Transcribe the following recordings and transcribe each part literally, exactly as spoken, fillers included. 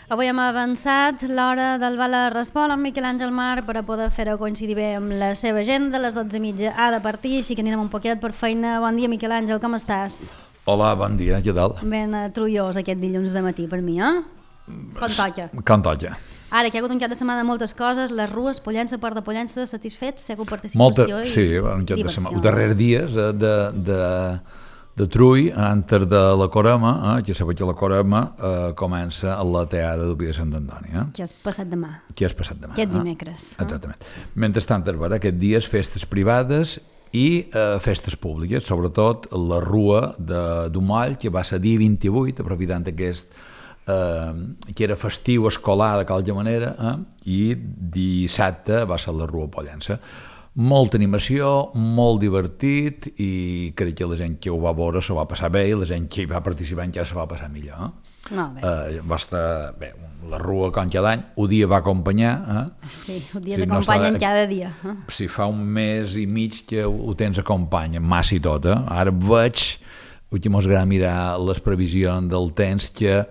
Avui hem avançat l'hora del Bala Respon amb Miquel Àngel Mar per a poder fer-ho coincidir bé amb la seva agenda. A les dotze i mitja ha de partir, així que anirem un poquet per feina. Bon dia, Miquel Àngel, com estàs? Hola, bon dia, què tal? Ben uh, trullós aquest dilluns de matí per mi, eh? Com toca. Com toca. Ara, que hi ha hagut un cap de setmana moltes coses, les rues, Pollença, Port de Pollença, satisfets, segur participació Molta, i sí, un cap de diversió. setmana. Els darrers dies de, de, de, de Trull, antes de la Corema, eh, que sabeu que la Corema eh, comença a la teada d'Ubi de Sant Antoni. Eh? Que has passat demà. Que has passat demà. Aquest eh? dimecres. Eh? Exactament. Mentrestant, aquest dies festes privades i eh, festes públiques, sobretot la Rua de Dumoll, que va ser dia vint-i-vuit, aprofitant aquest eh, que era festiu escolar de qualque manera, eh, i dissabte va ser la Rua Pollença. Molta animació, molt divertit, i crec que la gent que ho va veure s'ho va passar bé i la gent que hi va participar encara s'ho va passar millor. Eh? Molt bé. Eh, va estar bé, la Rua com cada any, un dia va acompanyar. Eh? Sí, un dia Sí, s'acompanyen no està- cada dia. Eh? Si fa un mes i mig que ho tens acompanya, massa i tot, eh? Ara veig, que mos agrada mirar les previsions del temps, que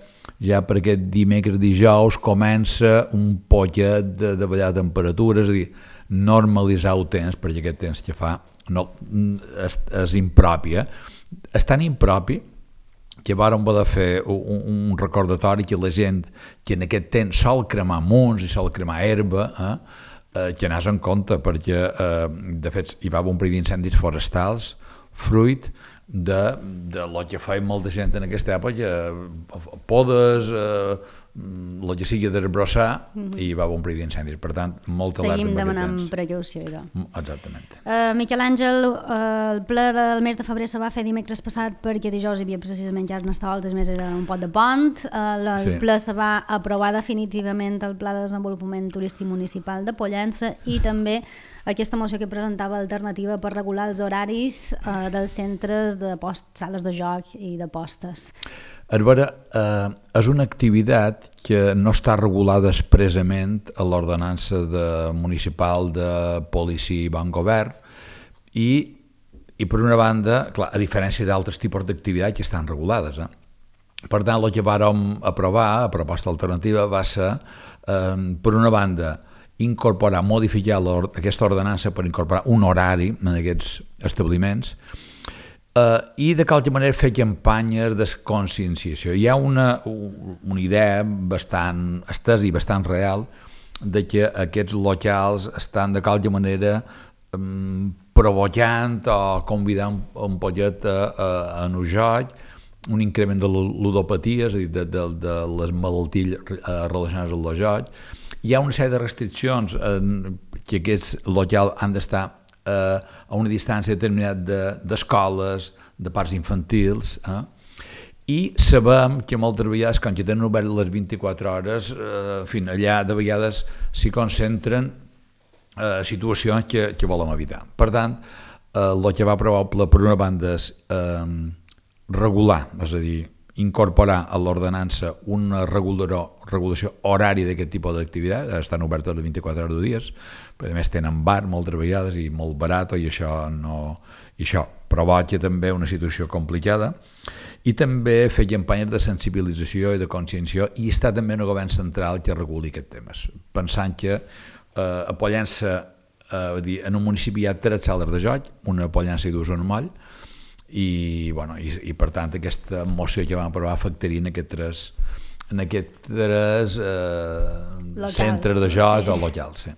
ja per aquest dimecres dijous comença un poquet de, de ballar temperatures, és a dir, normalitzar el temps, perquè aquest temps que fa no, és, és impropi. Eh? És tan impropi que vàrem poder fer un, un recordatori que la gent que en aquest temps sol cremar munts i sol cremar herba, eh? Eh, que anàs en compte, perquè eh, de fet hi va haver un període d'incendis forestals fruit de, de lo que feia molta gent en aquesta època, eh, podes, eh, el que sigui d'arbrossar, mm -hmm. i hi va haver un període d'incendis. Per tant, molta alerta Seguim amb aquest demanant temps. precaució. Idò. Exactament. Uh, Miquel Àngel, uh, el ple del mes de febrer se va fer dimecres passat perquè dijous hi havia precisament Carnestoltes, més era un pot de pont. Uh, el Sí. ple se va aprovar definitivament el Pla de Desenvolupament Turístic Municipal de Pollença i també aquesta moció que presentava alternativa per regular els horaris uh, dels centres de post, sales de joc i d'apostes. A veure, eh, és una activitat que no està regulada expressament a l'ordenança de, municipal de policia i bon govern i, i per una banda, clar, a diferència d'altres tipus d'activitats que estan regulades. Eh? Per tant, el que vàrem aprovar, a proposta alternativa, va ser, eh, per una banda, incorporar, modificar aquesta ordenança per incorporar un horari en aquests establiments, Uh, i de qualque manera fer campanyes de conscienciació. Hi ha una, una idea bastant estesa i bastant real de que aquests locals estan de qualque manera um, provocant o convidant un poquet a, a, a un joc, un increment de ludopatia, és a dir, de, de, de les malalties relacionades amb el joc. Hi ha una sèrie de restriccions en que aquests locals han d'estar a una distància determinada d'escoles, de, de parcs infantils, eh? I sabem que moltes vegades, quan tenen obert les vint-i-quatre hores, eh, fin, allà de vegades s'hi concentren eh, situacions que, que volem evitar. Per tant, eh, el que va aprovar per una banda és eh, regular, és a dir, incorporar a l'ordenança una regulació horària d'aquest tipus d'activitat, estan obertes les vint-i-quatre hores de dies, però a més tenen bar moltes vegades i molt barat, i això, no, i això provoca també una situació complicada, i també fer campanyes de sensibilització i de consciència, i està també un govern central que reguli aquests temes, pensant que eh, a Pollença, eh, en un municipi hi ha tres sales de joc, una a Pollença i dues a Moll, i, bueno, i, i per tant aquesta moció que vam aprovar afectaria en aquests tres, en aquests tres eh, locals, centres de joc, sí. O locals. Sí.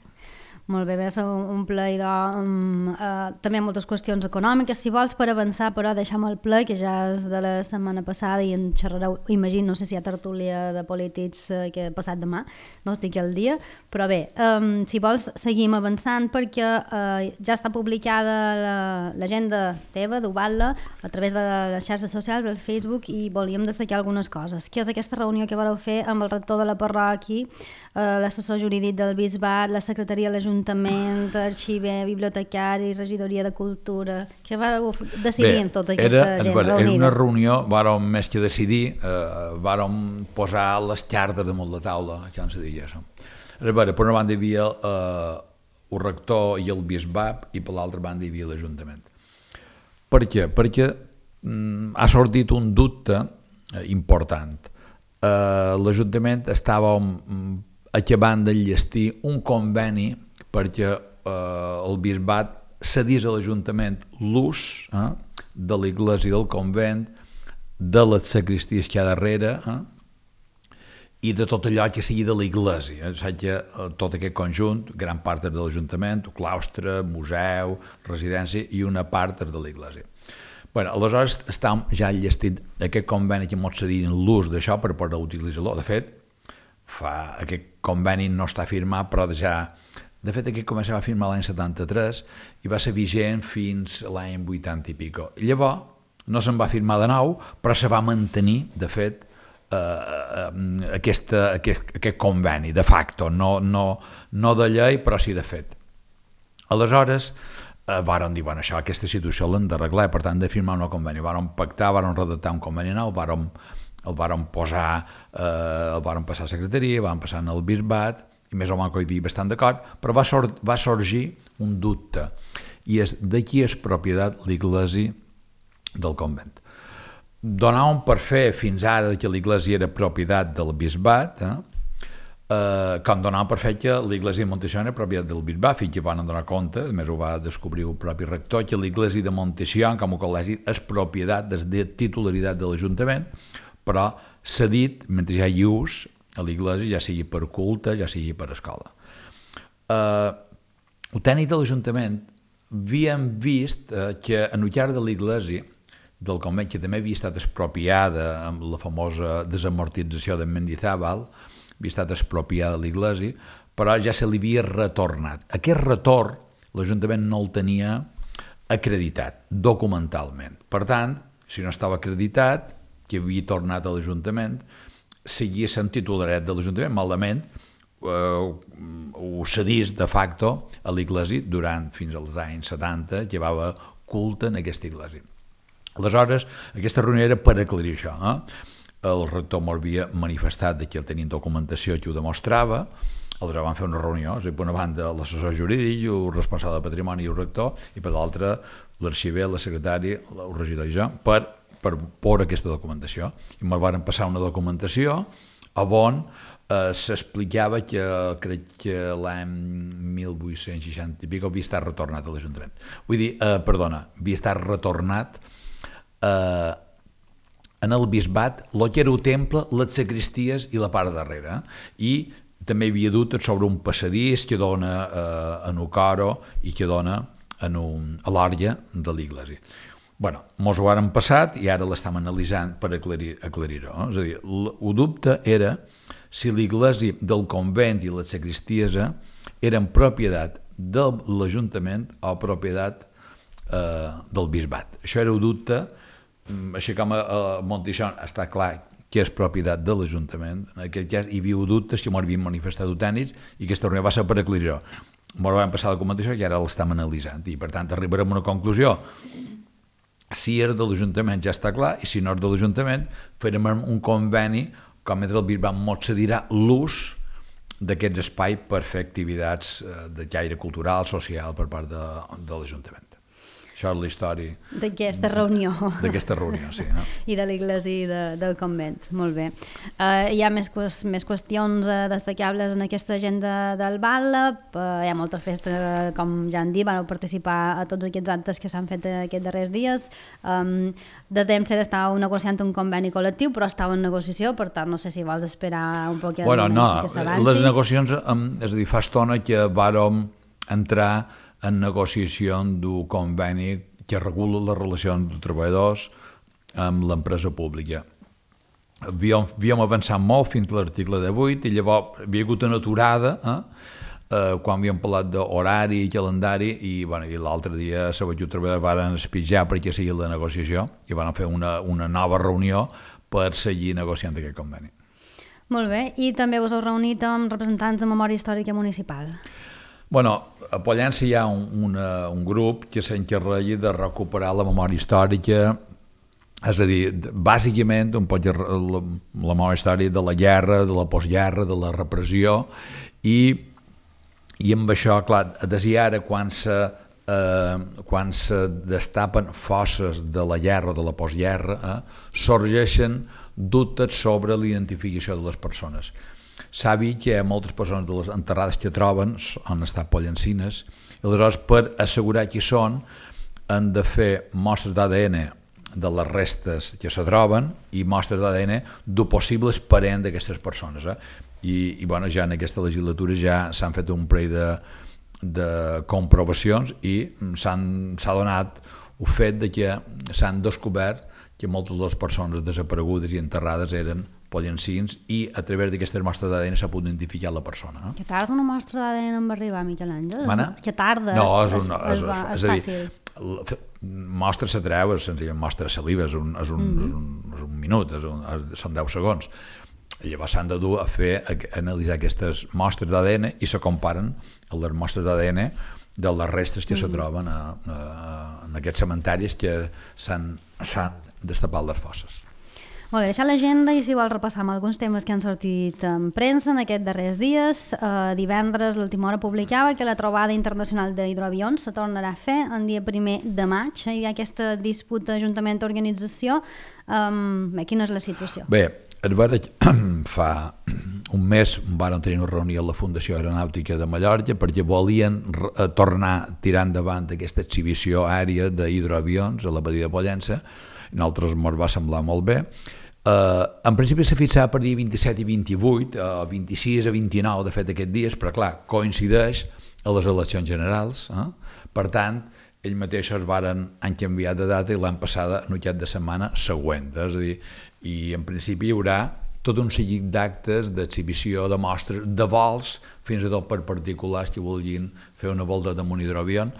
Molt bé, va ser un ple idò, um, uh, també moltes qüestions econòmiques, si vols, per avançar, però deixem el ple, que ja és de la setmana passada i en xerrareu, imagino, no sé si hi ha tertúlia de polítics uh, que ha passat demà, no estic al dia, però bé, um, si vols seguim avançant perquè uh, ja està publicada l'agenda teva d'Ubatla a través de les xarxes socials, del Facebook, i volíem destacar algunes coses, que és aquesta reunió que vareu fer amb el rector de la parròquia, uh, l'assessor jurídic del Bisbat, la secretaria de l'Ajuntament, arxiver, bibliotecari, regidoria de cultura, que vau decidir Bé, en tota aquesta era, gent era reunida. una reunió, vàrem més que decidir, eh, vàrem posar les cartes damunt la taula, que no se diria això. A veure, per una banda hi havia eh, el rector i el bisbat, i per l'altra banda hi havia l'Ajuntament. Per què? Perquè mm, ha sortit un dubte eh, important. eh, l'Ajuntament estava acabant d'enllestir un conveni perquè eh, el bisbat cedís a l'Ajuntament l'ús eh, de l'església del convent, de les sacristies que hi ha darrere, eh, i de tot allò que sigui de l'església. O sigui que tot aquest conjunt, gran part és de l'Ajuntament, claustre, museu, residència, i una part és de l'església. Bueno, aleshores estàvem ja enllestit aquest conveni que ens cedien l'ús d'això per poder utilitzar-lo. De fet, fa, aquest conveni no està firmat, però ja... De fet, aquest conveni va firmar l'any setanta-tres i va ser vigent fins l'any vuitanta i pico. Llavors, no se'n va firmar de nou, però se va mantenir, de fet, eh, aquesta, aquest, aquest conveni, de facto, no, no, no de llei, però sí de fet. Aleshores, eh, varen dir, bueno, això, aquesta situació l'hem d'arreglar, per tant, de firmar un conveni. Varen pactar, varen redactar un conveni nou, varen, el varen posar, eh, el varen passar a secretaria, varen passar al bisbat, i més o menys que hi havia bastant d'acord, però va, sor va sorgir un dubte, i és de qui és propietat l'església del convent. Donàvem per fer fins ara que l'església era propietat del bisbat, eh? Eh, com donàvem per fer que l'església de Montession era propietat del bisbat, fins que van donar compte, a més ho va descobrir el propi rector, que l'església de Montession, com a col·legi, és propietat, és de titularitat de l'Ajuntament, però cedit, mentre hi ha ús, a l'església, ja sigui per culte, ja sigui per escola. Eh, el tècnic de l'Ajuntament havíem vist eh, que en el llarg de l'església del convent, que també havia estat expropiada amb la famosa desamortització de Mendizábal, havia estat expropiada l'església, però ja se li havia retornat. Aquest retorn l'Ajuntament no el tenia acreditat documentalment. Per tant, si no estava acreditat, que havia tornat a l'Ajuntament, seguia sent titularet de l'Ajuntament, malament eh, ho cedís de facto a l'església durant fins als anys setanta, llevava culte en aquesta església. Aleshores, aquesta reunió era per aclarir això. Eh? El rector m'havia manifestat que tenien documentació que ho demostrava, aleshores van fer una reunió, és a dir, per una banda l'assessor jurídic, el responsable de patrimoni i el rector, i per l'altra l'arxiver, la secretària, el regidor i jo, per per por aquesta documentació. I me'l van passar una documentació on eh, s'explicava que crec que l'any mil vuit-cents seixanta i pico havia estat retornat a l'Ajuntament. Vull dir, eh, perdona, havia estat retornat eh, en el bisbat, el que era el temple, les sacristies i la part darrere. I també hi havia dubtes sobre un passadís que dona eh, en un coro i que dona en un, a l'òrgia de l'església. Bueno, mos ho han passat i ara l'estem analitzant per aclarir-ho. Aclarir no? És a dir, el dubte era si l'església del convent i la sacristia eren propietat de l'Ajuntament o propietat eh, del bisbat. Això era el dubte, així com a, a Montesson està clar que és propietat de l'Ajuntament. En aquest cas hi havia dubtes que m'ho havien manifestat tècnics i aquesta reunió va ser per aclarir-ho. M'ho van passar la documentació i ara l'estem analitzant i per tant arribarem a una conclusió. Si és de l'Ajuntament ja està clar, i si no és de l'Ajuntament farem un conveni com entre el bisbat mos cedirà l'ús d'aquests espais per fer activitats de caire cultural, social per part de, de l'Ajuntament. Això és la història d'aquesta reunió. D'aquesta reunió, sí. No? I de l'església i de, del convent. Molt bé. Uh, hi ha més, més qüestions uh, destacables en aquesta agenda del Bàl·lep. Uh, hi ha molta festa, com ja han dit, van participar a tots aquests actes que s'han fet aquests darrers dies. Um, des d'E M C estàveu negociant un conveni col·lectiu, però estava en negociació, per tant, no sé si vols esperar un poc bueno, no, que s'avanci. Les negociacions, és a dir, fa estona que vàrem entrar en negociació d'un conveni que regula les relacions de treballadors amb l'empresa pública. Havíem, havíem avançat molt fins a l'article divuit i llavors havia hagut una aturada eh, eh, quan havíem parlat d'horari i calendari i, bueno, i l'altre dia la Sabatut Treballadors van espitjar perquè seguia la negociació i van fer una, una nova reunió per seguir negociant aquest conveni. Molt bé, i també us heu reunit amb representants de Memòria Històrica Municipal. Bueno, a Pollença hi ha un, una, un grup que s'encarrega de recuperar la memòria històrica, és a dir, bàsicament un poc la, la memòria històrica de la guerra, de la postguerra, de la repressió, i, i amb això, clar, des i ara, quan se eh, quan se destapen fosses de la guerra o de la postguerra, eh, sorgeixen dubtes sobre l'identificació de les persones. S'ha vist que moltes persones de les enterrades que troben han estat pollencines, i aleshores per assegurar qui són han de fer mostres d'A D N de les restes que se troben i mostres d'A D N d'un possibles parent d'aquestes persones. Eh? I, i bueno, ja en aquesta legislatura ja s'han fet un parell de, de comprovacions i s'ha donat el fet de que s'han descobert que moltes de les persones desaparegudes i enterrades eren pollencins i a través d'aquestes mostres d'A D N s'ha pogut identificar la persona. Eh? Que tarda una mostra d'A D N en arribar, Miquel Àngel? Mana? Que tarda, no, és, és, una, és, és, és, és fàcil. Dir, mostra se treu, és senzillament mostra de saliva, és un, és un, mm -hmm. és un, és un minut, és un, és, són deu segons. Llavors s'han de dur a fer, a analitzar aquestes mostres d'A D N i se comparen a les mostres d'A D N de les restes que mm -hmm. se troben a, a, en aquests cementaris que s'han destapat les fosses. Molt bé, deixar l'agenda i si vol repassar amb alguns temes que han sortit en premsa en aquests darrers dies. Eh, divendres l'Última Hora publicava que la trobada internacional d'hidroavions se tornarà a fer el dia primer de maig. Hi ha aquesta disputa ajuntament-organització. Um, bé, quina és la situació? Bé, es va, fa un mes varen tenir una reunió a la Fundació Aeronàutica de Mallorca perquè volien tornar a tirar endavant aquesta exhibició aèria d'hidroavions a la badia de Pollença. A nosaltres ens va semblar molt bé. Uh, en principi s'ha fixat per dia vint-i-set i vint-i-vuit, uh, vint-i-sis a vint-i-nou de fet aquests dies, però clar, coincideix a les eleccions generals, eh? Per tant, ells mateixos varen, han canviat de data i l'any passada en aquest de setmana següent, és a dir, i en principi hi haurà tot un seguit d'actes d'exhibició, de mostres, de vols, fins i tot per particulars que vulguin fer una volta amb un hidroavió,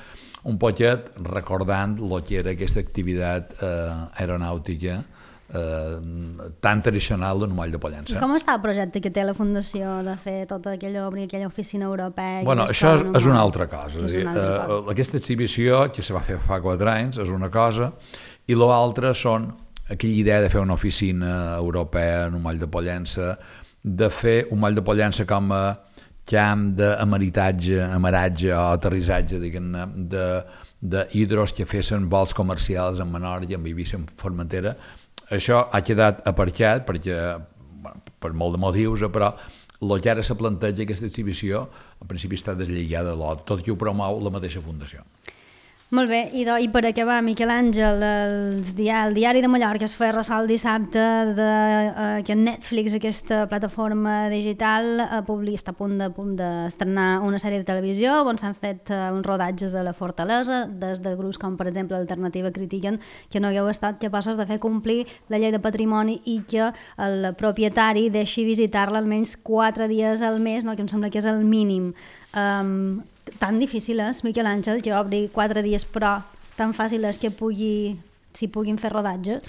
un poquet recordant el que era aquesta activitat eh, aeronàutica eh, tan tradicional del Moll de Pollença. I com està el projecte que té la Fundació de fer tota aquella obra i aquella oficina europea? Bueno, això és, és una altra cosa. És dir, una altra cosa. Eh, aquesta exhibició, que se va fer fa quatre anys, és una cosa, i l'altra són aquella idea de fer una oficina europea en un Moll de Pollença, de fer un Moll de Pollença com a camp d'amaritatge, amaratge o aterrissatge, diguem-ne, d'hidros que fessin vols comercials en Menorca, en Eivissa, en Formentera. Això ha quedat aparcat perquè, bueno, per molt de motius, però el que ara se planteja aquesta exhibició, en principi està deslligada de l'altre, tot i ho promou la mateixa fundació. Molt bé, i, do, i per acabar, Miquel Àngel, el, dia, el Diari de Mallorca es feia ressò el dissabte de, uh, que Netflix, aquesta plataforma digital, uh, publi, està a punt de, punt d'estrenar una sèrie de televisió on s'han fet uh, uns rodatges a la Fortalesa, des de grups com per exemple Alternativa critiquen que no hagueu estat capaços de fer complir la llei de patrimoni i que el propietari deixi visitar-la almenys quatre dies al mes, no? Que em sembla que és el mínim. Um, tan difícil és, Miquel Àngel, que obri quatre dies, però tan fàcil és que pugui, si puguin fer rodatges?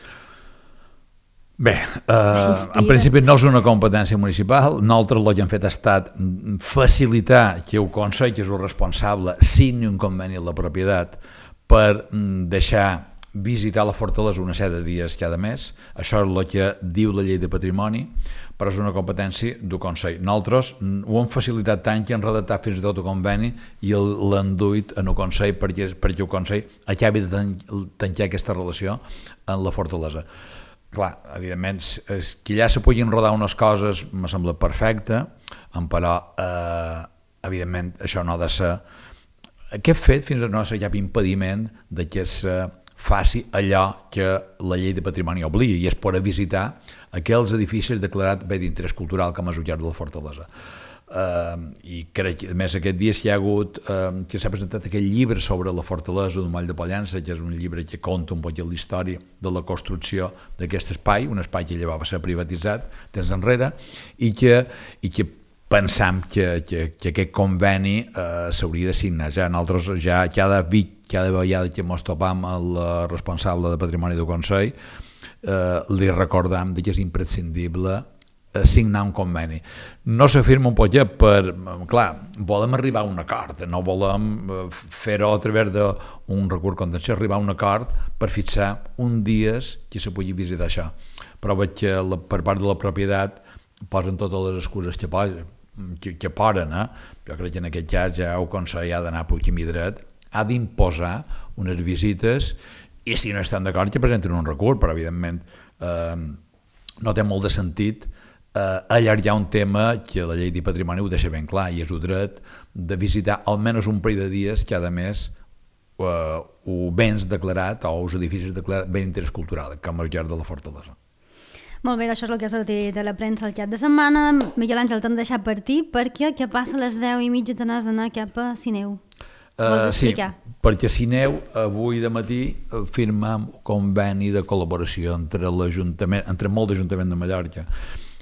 Bé, eh, en principi no és una competència municipal. Nosaltres el que hem fet ha estat facilitar que el Consell, que és el responsable, signi un conveni a la propietat per deixar visitar la fortalesa una sèrie de dies cada mes. Això és el que diu la llei de patrimoni, però és una competència del Consell. Nosaltres ho hem facilitat tant que hem redactat fins i tot el conveni i l'hem duit en el Consell perquè, perquè el Consell acabi de tancar aquesta relació en la fortalesa. Clar, evidentment, és que ja se puguin rodar unes coses me sembla perfecte, però eh, evidentment això no ha de ser... Aquest fet fins i tot no ha de ser cap impediment de que se faci allò que la llei de patrimoni obliga, i és poder visitar aquells edificis declarats bé d'interès cultural com és el Llarg de la Fortalesa. Uh, I crec que a més aquest dia hi ha hagut uh, que s'ha presentat aquest llibre sobre la fortalesa del Moll de Pollença, que és un llibre que conta un poc la història de la construcció d'aquest espai, un espai que llavors va ser privatitzat temps enrere, i que, i que pensam que, que, que aquest conveni eh, s'hauria de signar. Ja nosaltres, ja cada, cada vegada que ens topam el responsable de Patrimoni del Consell, eh, li recordam que és imprescindible signar un conveni. No s'afirma un poquet per... Clar, volem arribar a un acord, no volem fer-ho a través d'un recurs contenciós, arribar a un acord per fixar un dies que se pugui visitar això. Però veig que la, per part de la propietat posen totes les excuses que posen, que, que poden, eh? Jo crec que en aquest cas ja el Consell ha d'anar per camí dret ha d'imposar unes visites i si no estan d'acord que presenten un recurs, però evidentment eh, no té molt de sentit eh, allargar un tema que la llei de patrimoni ho deixa ben clar i és el dret de visitar almenys un parell de dies cada mes eh, o béns declarat o els edificis declarats bé d'interès cultural, com el Ger de la Fortalesa. Molt bé, això és el que ha sortit a la premsa el cap de setmana. Miquel Àngel, t'han deixat partir perquè què passa a les deu i mitja te n'has d'anar cap a Sineu. Vols explicar? Uh, sí, perquè Sineu avui de matí firmam un conveni de col·laboració entre l'Ajuntament, entre molt d'Ajuntament de Mallorca,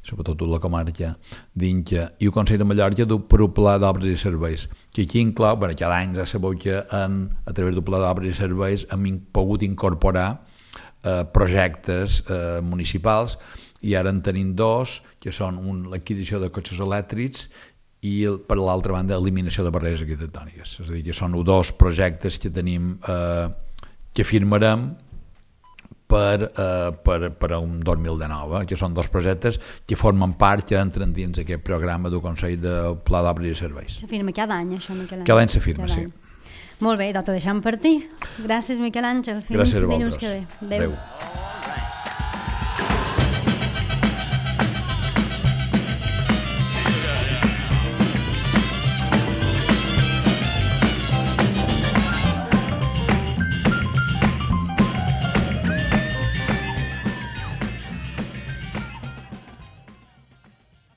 sobretot la comarca d'Inca, i el Consell de Mallorca per un pla d'obres i serveis, que aquí inclou, bueno, cada any ja sabeu que en, a través del pla d'obres i serveis hem pogut incorporar Eh, projectes eh, municipals i ara en tenim dos, que són l'adquisició de cotxes elèctrics i el, per l'altra banda eliminació de barreres arquitectòniques. És a dir, que són dos projectes que tenim eh, que firmarem per, eh, per, per un dos mil dinou, eh, que són dos projectes que formen part, que entren dins aquest programa del Consell de Pla d'Obres i Serveis. Se firma cada any, això, Miquel Àngel? Cada any se firma, cada sí. Any. Molt bé, doncs ho deixem partir. Gràcies, Miquel Àngel. Fins Gràcies a dilluns vosaltres. que ve. Adéu. Adéu.